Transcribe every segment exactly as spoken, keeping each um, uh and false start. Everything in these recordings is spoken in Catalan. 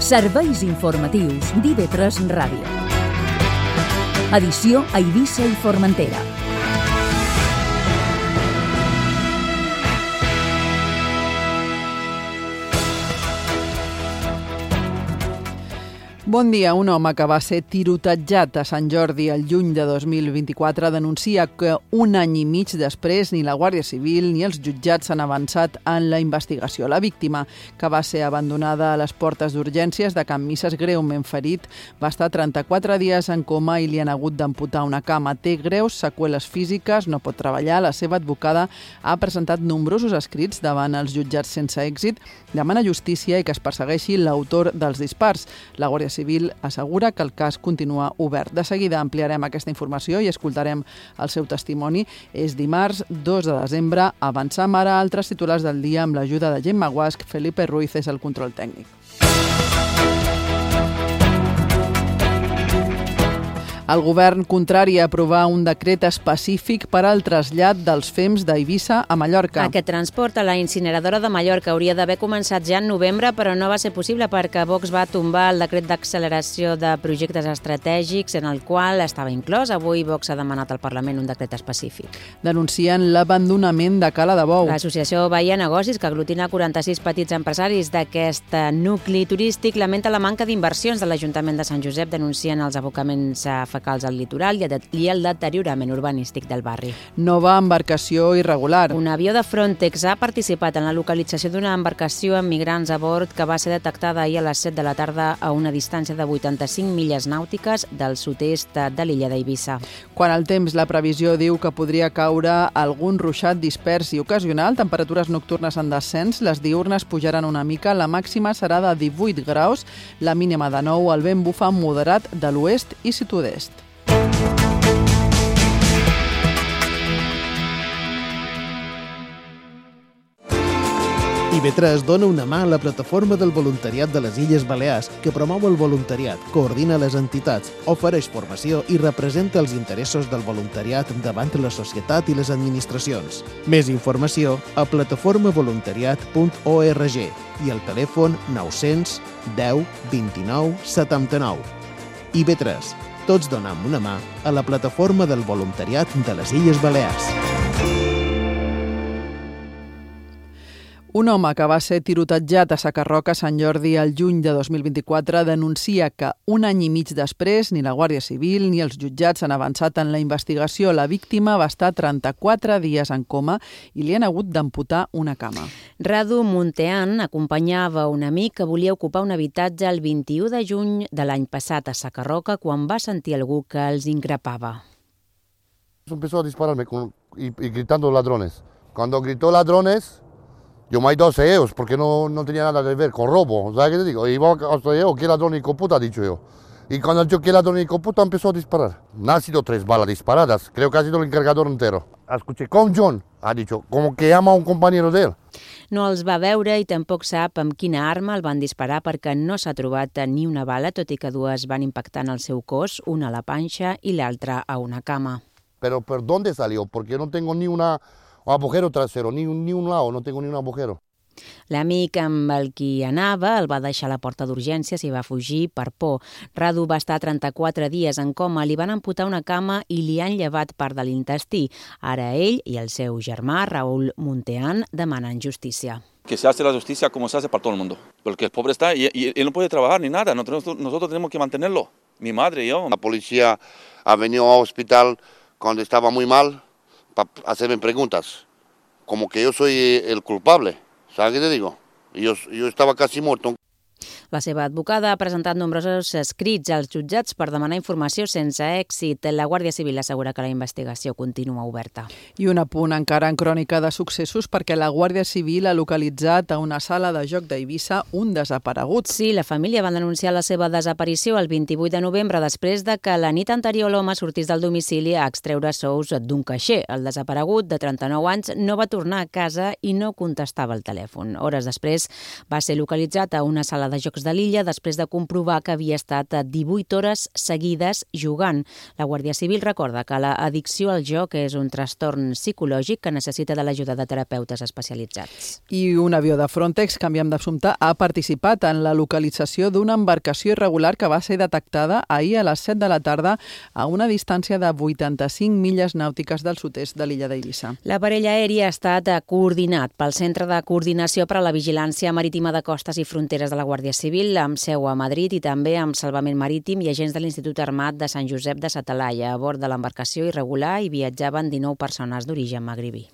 Serveis informatius d'I V tres Ràdio. Edició a Eivissa i Formentera. Bon dia. Un home que va ser tirotejat a Sant Jordi el juny de dos mil vint-i-quatre denuncia que un any i mig després ni la Guàrdia Civil ni els jutjats s'han avançat en la investigació. La víctima, que va ser abandonada a les portes d'urgències de Can Misses greument ferit, va estar trenta-quatre dies en coma i li han hagut d'amputar una cama. Té greus seqüeles físiques, no pot treballar. La seva advocada ha presentat nombrosos escrits davant els jutjats sense èxit. Demana justícia i que es persegueixi l'autor dels dispars. La Guàrdia Civil assegura que el cas continua obert. De seguida ampliarem aquesta informació i escoltarem el seu testimoni. És dimarts dos de desembre. Avancem ara a altres titulars del dia amb l'ajuda de Gemma Guasch. Felipe Ruiz és el control tècnic. El govern contrari a aprovar un decret específic per al trasllat dels fems d'Eivissa a Mallorca. Aquest transport a la incineradora de Mallorca hauria d'haver començat ja en novembre, però no va ser possible perquè Vox va tombar el decret d'acceleració de projectes estratègics en el qual estava inclòs. Avui Vox ha demanat al Parlament un decret específic. Denuncien l'abandonament de Cala de Bou. L'Associació Bahia Negocis, que aglutina quaranta-sis petits empresaris d'aquest nucli turístic, lamenta la manca d'inversions de l'Ajuntament de Sant Josep. Denuncien els abocaments a fecals al litoral i el deteriorament urbanístic del barri. Nova embarcació irregular. Un avió de Frontex ha participat en la localització d'una embarcació amb migrants a bord que va ser detectada ahir a les set de la tarda a una distància de vuitanta-cinc milles nàutiques del sud-est de l'illa d'Eivissa. Quan el temps, la previsió diu que podria caure algun ruixat dispers i ocasional, temperatures nocturnes en descens, les diürnes pujaran una mica, la màxima serà de divuit graus, la mínima de nou, el vent bufa moderat de l'oest i sud-oest. I V tres dona una mà a la plataforma del voluntariat de les Illes Balears, que promou el voluntariat, coordina les entitats, ofereix formació i representa els interessos del voluntariat davant la societat i les administracions. Més informació a plataforma voluntariat punt org i al telèfon nou-cents deu vint-i-nou setanta-nou. I V tres. Tots donem una mà a la plataforma del voluntariat de les Illes Balears. Un home que va ser tirotejat a Sacarroca a Sant Jordi el juny de dos mil vint-i-quatre denuncia que un any i mig després ni la Guàrdia Civil ni els jutjats han avançat en la investigació. La víctima va estar trenta-quatre dies en coma i li han hagut d'amputar una cama. Radu Muntean acompanyava un amic que volia ocupar un habitatge el vint-i-u de juny de l'any passat a Sacarroca quan va sentir algú que els increpava. Empezó a dispararme con, y, y gritando ladrones. Cuando gritó ladrones, yo me he ido a ellos porque no, no tenía nada que ver con robo, ¿sabes qué te digo? Y vos hasta yo, ¿qué ladrón y coputa? Dicho yo. Y cuando yo, ¿qué ladrón y coputa? Empezó a disparar. No han sido tres balas disparadas, creo que ha sido el encargador entero. Escuché, con John, ha dicho, como que ama a un compañero de él. No els va veure i tampoc sap amb quina arma el van disparar perquè no s'ha trobat ni una bala, tot i que dues van impactar en el seu cos, una a la panxa i l'altra a una cama. Pero ¿por dónde salió? Porque no tengo ni una... un agujero trasero, ni un, ni un lado, no tengo ni un agujero. L'amic amb el qui anava el va deixar a la porta d'urgències i va fugir per por. Radu va estar trenta-quatre dies en coma, li van amputar una cama i li han llevat part de l'intestí. Ara ell i el seu germà, Raúl Muntean, demanen justícia. Que se hace la justicia como se hace para todo el mundo. Porque el pobre está y, y él no puede trabajar ni nada, nosotros, nosotros tenemos que mantenerlo, mi madre y yo. La policía ha venido al hospital cuando estaba muy mal para hacerme preguntas, como que yo soy el culpable, ¿sabes qué te digo? Yo, yo estaba casi muerto. La seva advocada ha presentat nombrosos escrits als jutjats per demanar informació sense èxit. La Guàrdia Civil assegura que la investigació continua oberta. I un apunt encara en crònica de successos perquè la Guàrdia Civil ha localitzat a una sala de joc d'Eivissa un desaparegut. Sí, la família va denunciar la seva desaparició el vint-i-vuit de novembre després de que la nit anterior l'home sortís del domicili a extreure sous d'un caixer. El desaparegut, de trenta-nou anys, no va tornar a casa i no contestava el telèfon. Hores després va ser localitzat a una sala de de jocs de l'illa després de comprovar que havia estat divuit hores seguides jugant. La Guàrdia Civil recorda que l'addicció al joc és un trastorn psicològic que necessita de l'ajuda de terapeutes especialitzats. I un avió de Frontex, canviem d'assumpte, ha participat en la localització d'una embarcació irregular que va ser detectada ahir a les set de la tarda a una distància de vuitanta-cinc milles nàutiques del sud-est de l'illa d'Eivissa. L'aparell aeri ha estat coordinat pel Centre de Coordinació per a la Vigilància Marítima de Costes i Fronteres de la Guàrdia Civil, amb seu a Madrid i també amb Salvament Marítim i agents de l'Institut Armat de Sant Josep de sa Talaia. A bord de l'embarcació irregular hi viatjaven dinou persones d'origen magribí.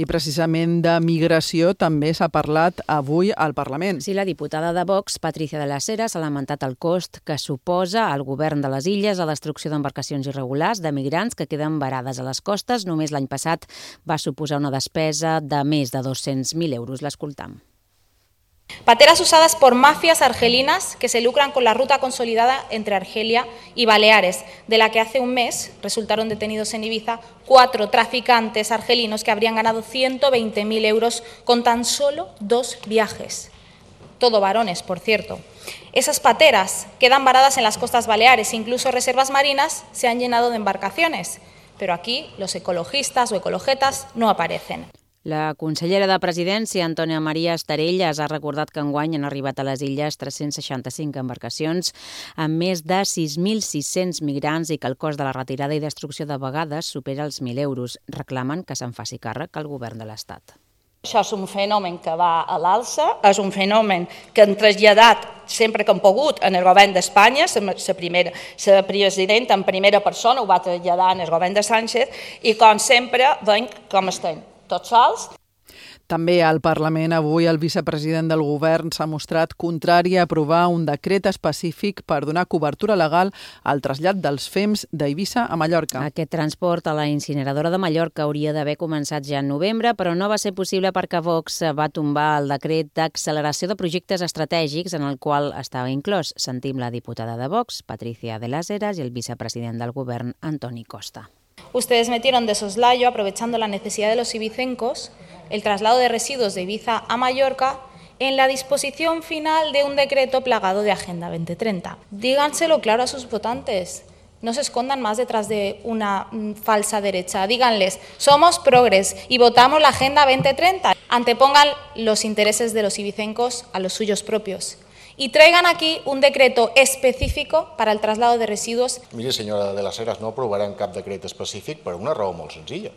I precisament de migració també s'ha parlat avui al Parlament. Sí, la diputada de Vox, Patricia de las Heras, ha lamentat el cost que suposa al govern de les illes la destrucció d'embarcacions irregulars de migrants que queden varades a les costes. Només l'any passat va suposar una despesa de més de dos-cents mil euros. L'escoltam. Pateras usadas por mafias argelinas que se lucran con la ruta consolidada entre Argelia y Baleares, de la que hace un mes resultaron detenidos en Ibiza cuatro traficantes argelinos que habrían ganado ciento veinte mil euros con tan solo dos viajes. Todo varones, por cierto. Esas pateras quedan varadas en las costas baleares, incluso reservas marinas se han llenado de embarcaciones, pero aquí los ecologistas o ecologetas no aparecen. La consellera de Presidència, Antònia Maria Estarellas, ha recordat que enguany han arribat a les illes tres-cents seixanta-cinc embarcacions amb més de sis mil sis-cents migrants i que el cost de la retirada i destrucció de vegades supera els mil euros. Reclamen que se'n faci càrrec el govern de l'Estat. Això és un fenomen que va a l'alça, és un fenomen que han traslladat sempre que han pogut en el govern d'Espanya, la primera, la presidenta en primera persona ho va traslladar en el govern de Sánchez i com sempre veiem com estem, tots sols. També al Parlament avui el vicepresident del govern s'ha mostrat contrari a aprovar un decret específic per donar cobertura legal al trasllat dels fems d'Eivissa a Mallorca. Aquest transport a la incineradora de Mallorca hauria d'haver començat ja en novembre, però no va ser possible perquè Vox va tombar el decret d'acceleració de projectes estratègics en el qual estava inclòs. Sentim la diputada de Vox, Patricia de las Heras, i el vicepresident del govern, Antoni Costa. Ustedes metieron de soslayo, aprovechando la necesidad de los ibicencos, el traslado de residuos de Ibiza a Mallorca en la disposición final de un decreto plagado de Agenda veinte treinta. Díganselo claro a sus votantes. No se escondan más detrás de una falsa derecha. Díganles, somos progres y votamos la Agenda veinte treinta. Antepongan los intereses de los ibicencos a los suyos propios. Y traigan aquí un decreto específico para el traslado de residuos. Miri, senyora de las Heras, no aprovarem cap decret específic per una raó molt senzilla,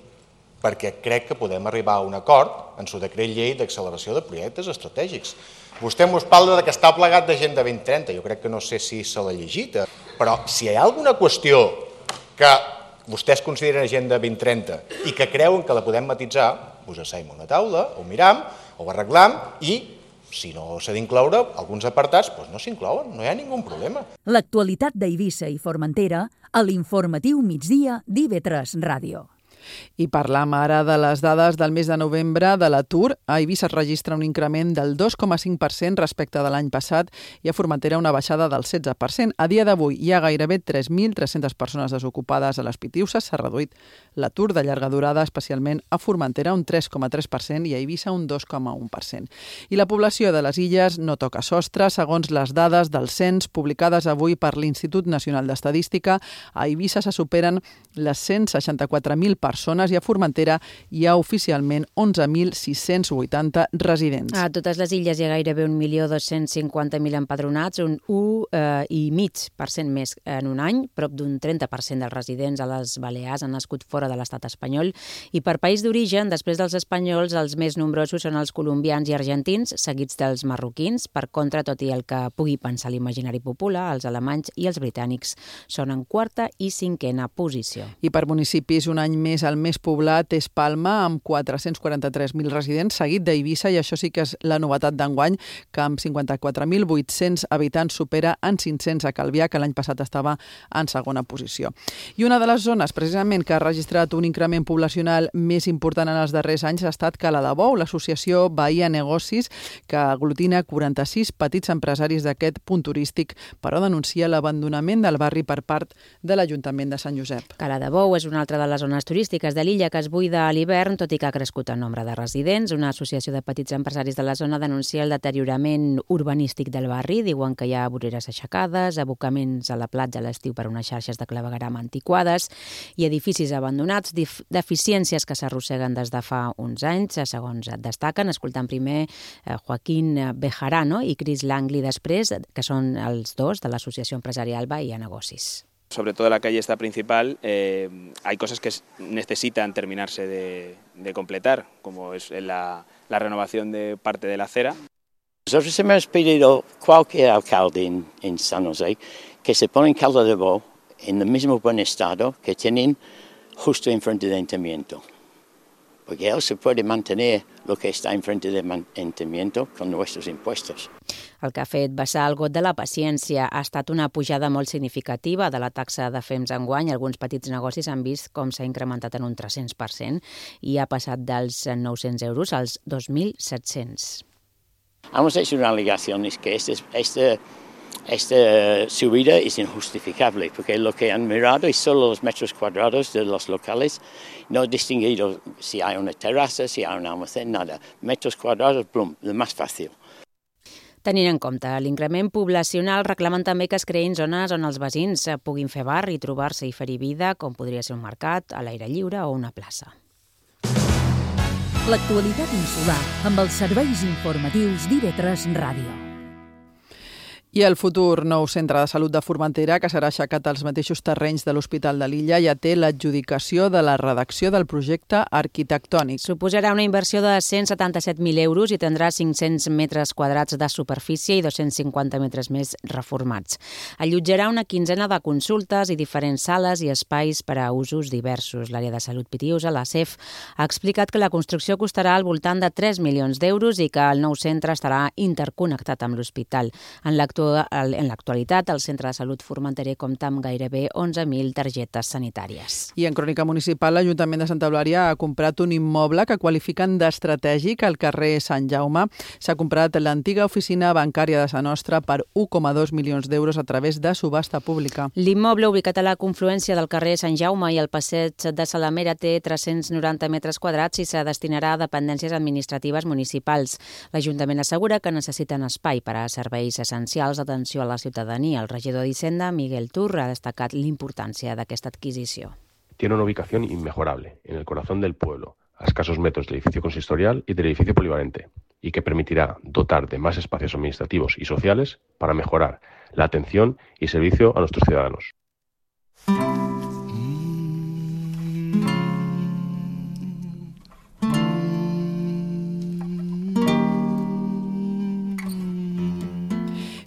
perquè crec que podem arribar a un acord en su decret llei d'acceleració de projectes estratègics. Vostè ens parla que està plegat d'Agenda vint trenta, jo crec que no sé si se l'ha llegit, però si hi ha alguna qüestió que vostès consideren Agenda vint trenta i que creuen que la podem matitzar, us asseiem a una taula, ho miram, ho arreglam i si no s'ha d'incloure alguns apartats, doncs no s'inclouen, no hi ha ningun problema. L'actualitat d'Eivissa i Formentera a l'informatiu migdia d'I V tres Ràdio. I parlam ara de les dades del mes de novembre de l'atur. A Eivissa es registra un increment del dos coma cinc per cent respecte de l'any passat i a Formentera una baixada del setze per cent. A dia d'avui hi ha gairebé tres mil tres-centes persones desocupades a les Pitiuses. S'ha reduït l'atur de llarga durada, especialment a Formentera un tres coma tres per cent i a Eivissa un dos coma un per cent. I la població de les illes no toca sostre. Segons les dades del cens publicades avui per l'Institut Nacional d'Estadística, a Eivissa se superen les cent seixanta-quatre mil persones persones i a Formentera hi ha oficialment onze mil sis-cents vuitanta residents. A totes les illes hi ha gairebé un milió dos-cents cinquanta mil empadronats, un u coma cinc per cent més en un any. Prop d'un trenta per cent dels residents a les Balears han nascut fora de l'estat espanyol. I per país d'origen, després dels espanyols, els més nombrosos són els colombians i argentins, seguits dels marroquins. Per contra, tot i el que pugui pensar l'imaginari popular, els alemanys i els britànics són en quarta i cinquena posició. I per municipis, un any més el més poblat és Palma, amb quatre-cents quaranta-tres mil residents, seguit d'Eivissa, i això sí que és la novetat d'enguany, que amb cinquanta-quatre mil vuit-cents habitants supera en cinc-cents a Calvià, que l'any passat estava en segona posició. I una de les zones, precisament, que ha registrat un increment poblacional més important en els darrers anys ha estat Cala de Bou, l'associació Bahia Negocis, que aglutina quaranta-sis petits empresaris d'aquest punt turístic, però denuncia l'abandonament del barri per part de l'Ajuntament de Sant Josep. Cala de Bou és una altra de les zones turístiques turístiques de l'illa que es buida a l'hivern, tot i que ha crescut el nombre de residents. Una associació de petits empresaris de la zona denuncia el deteriorament urbanístic del barri. Diuen que hi ha voreres aixecades, abocaments a la platja a l'estiu per unes xarxes de clavegueram antiquades i edificis abandonats, deficiències que s'arrosseguen des de fa uns anys, segons destaquen, escoltant primer Joaquín Bejarano i Chris Langley després, que són els dos de l'Associació Empresarial Bahía Negocis. Sobre todo la calle esta principal, eh, hay cosas que necesitan terminarse de, de completar, como es la, la renovación de parte de la acera. Nosotros hemos pedido a cualquier alcalde en, en San José que se ponga en Calda de Bo en el mismo buen estado que tienen justo enfrente del ayuntamiento. Porque él se puede mantener lo que está enfrente del ayuntamiento con nuestros impuestos. El que ha fet vessar el got de la paciència ha estat una pujada molt significativa de la taxa de F E M S enguany. Alguns petits negocis han vist com s'ha incrementat en un tres-cents per cent i ha passat dels nou-cents euros als dos mil set-cents. Hemos hecho una alegación, es que este, este, esta subida es injustificable, porque lo que han mirado es solo los metros cuadrados de los locales, no distinguido si hay una terraza, si hay un almacén, nada. Metros cuadrados, plum, lo más fácil. Tenint en compte l'increment poblacional, reclamen també que es creïn zones on els veïns puguin fer bar i trobar-se i fer-hi vida, com podria ser un mercat, a l'aire lliure o una plaça. L'actualitat insular amb els serveis informatius d'I V tres Ràdio. I el futur nou centre de salut de Formentera, que serà aixecat als mateixos terrenys de l'Hospital de l'Illa, ja té l'adjudicació de la redacció del projecte arquitectònic. Suposarà una inversió de cent setanta-set mil euros i tindrà cinc-cents metres quadrats de superfície i dos-cents cinquanta metres més reformats. Allotjarà una quinzena de consultes i diferents sales i espais per a usos diversos. L'àrea de salut Pitiusa, la C E F, ha explicat que la construcció costarà al voltant de tres milions d'euros i que el nou centre estarà interconnectat amb l'hospital. En l'actualitat En l'actualitat, el Centre de Salut Formenterer compta amb gairebé onze mil targetes sanitàries. I en crònica municipal, l'Ajuntament de Santa Eulària ha comprat un immoble que qualifiquen d'estratègic al carrer Sant Jaume. S'ha comprat l'antiga oficina bancària de Sa Nostra per un coma dos milions d'euros a través de subhasta pública. L'immoble, ubicat a la confluència del carrer Sant Jaume i el passeig de Salamera, té tres-cents noranta metres quadrats i se destinarà a dependències administratives municipals. L'Ajuntament assegura que necessiten espai per a serveis essencials d'atenció a la ciutadania. El regidor d'Hisenda, Miguel Tur, ha destacat l'importància d'aquesta adquisició. Tiene una ubicación inmejorable en el corazón del pueblo, a escasos metros del edificio consistorial y del edificio polivalente, y que permitirá dotar de más espacios administrativos y sociales para mejorar la atención y servicio a nuestros ciudadanos.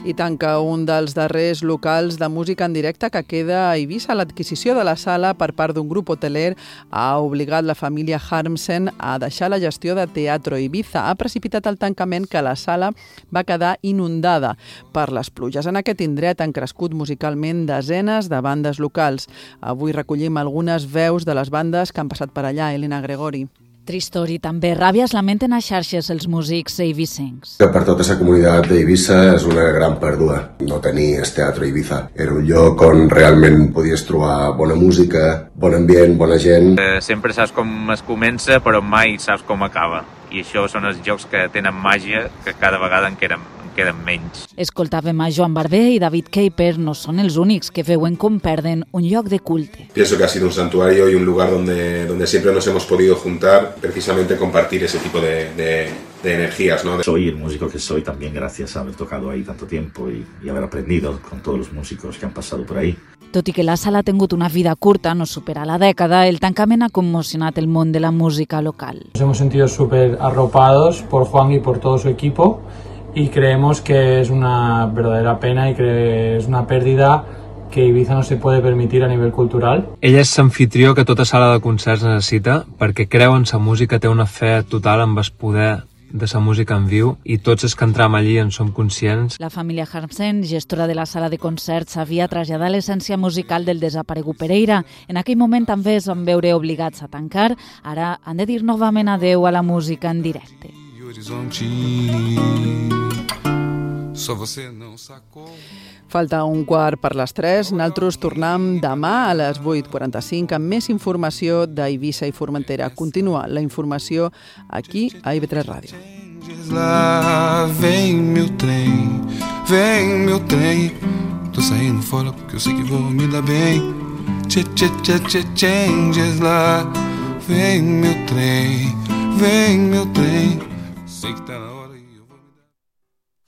I tanca un dels darrers locals de música en directe que queda a Eivissa. L'adquisició de la sala per part d'un grup hoteler ha obligat la família Harmsen a deixar la gestió de Teatro Ibiza. Ha precipitat el tancament que la sala va quedar inundada per les pluges. En aquest indret han crescut musicalment desenes de bandes locals. Avui recollim algunes veus de les bandes que han passat per allà. Elena Gregori. Tristor i també ràbia es lamenten a xarxes els músics eivissencs. Per tota aquesta comunitat d'Eivissa és una gran pèrdua no tenir el Teatro Ibiza. Era un lloc on realment podies trobar bona música, bon ambient, bona gent. Eh, sempre saps com es comença, però mai saps com acaba. I això són els jocs que tenen màgia, que cada vegada en queden, en queden menys. Escoltàvem a Joan Barber i David Keiper. No són els únics que veuen com perden un lloc de culte. Pienso que ha sido un santuario y un lugar donde, donde siempre nos hemos podido juntar, precisamente compartir ese tipo de, de, de energías, ¿no? Soy el músico que soy también gracias a haber tocado ahí tanto tiempo y, y haber aprendido con todos los músicos que han pasado por ahí. Tot i que la sala ha tingut una vida curta, no supera la dècada, el tancament ha conmocionat el món de la música local. Nos hemos sentido súper arropados por Juan y por todo su equipo y creemos que es una verdadera pena y que es una pérdida que Ibiza no se puede permitir a nivell cultural. Ella és l'anfitrió que tota sala de concerts necessita perquè creu en sa música, té una fe total en el poder de sa música en viu i tots els que entram allí en som conscients. La família Harmsen, gestora de la sala de concerts, havia traslladat l'essència musical del desaparegut Pereira. En aquell moment també es van veure obligats a tancar. Ara han de dir novament adeu a la música en directe. só você não sacou. Falta un quart per les tres. Nosaltres tornem demà a les vuit quaranta-cinc amb més informació d'Eivissa i Formentera. Continua la informació aquí a I V tres Ràdio. Lá vem meu trem, vem meu trem. Tô saindo fora porque eu sei que vou me dar bem. Tchê, tchê, tchê, tchê, changes lá. Vem meu trem, vem meu trem. Sei que tá na hora.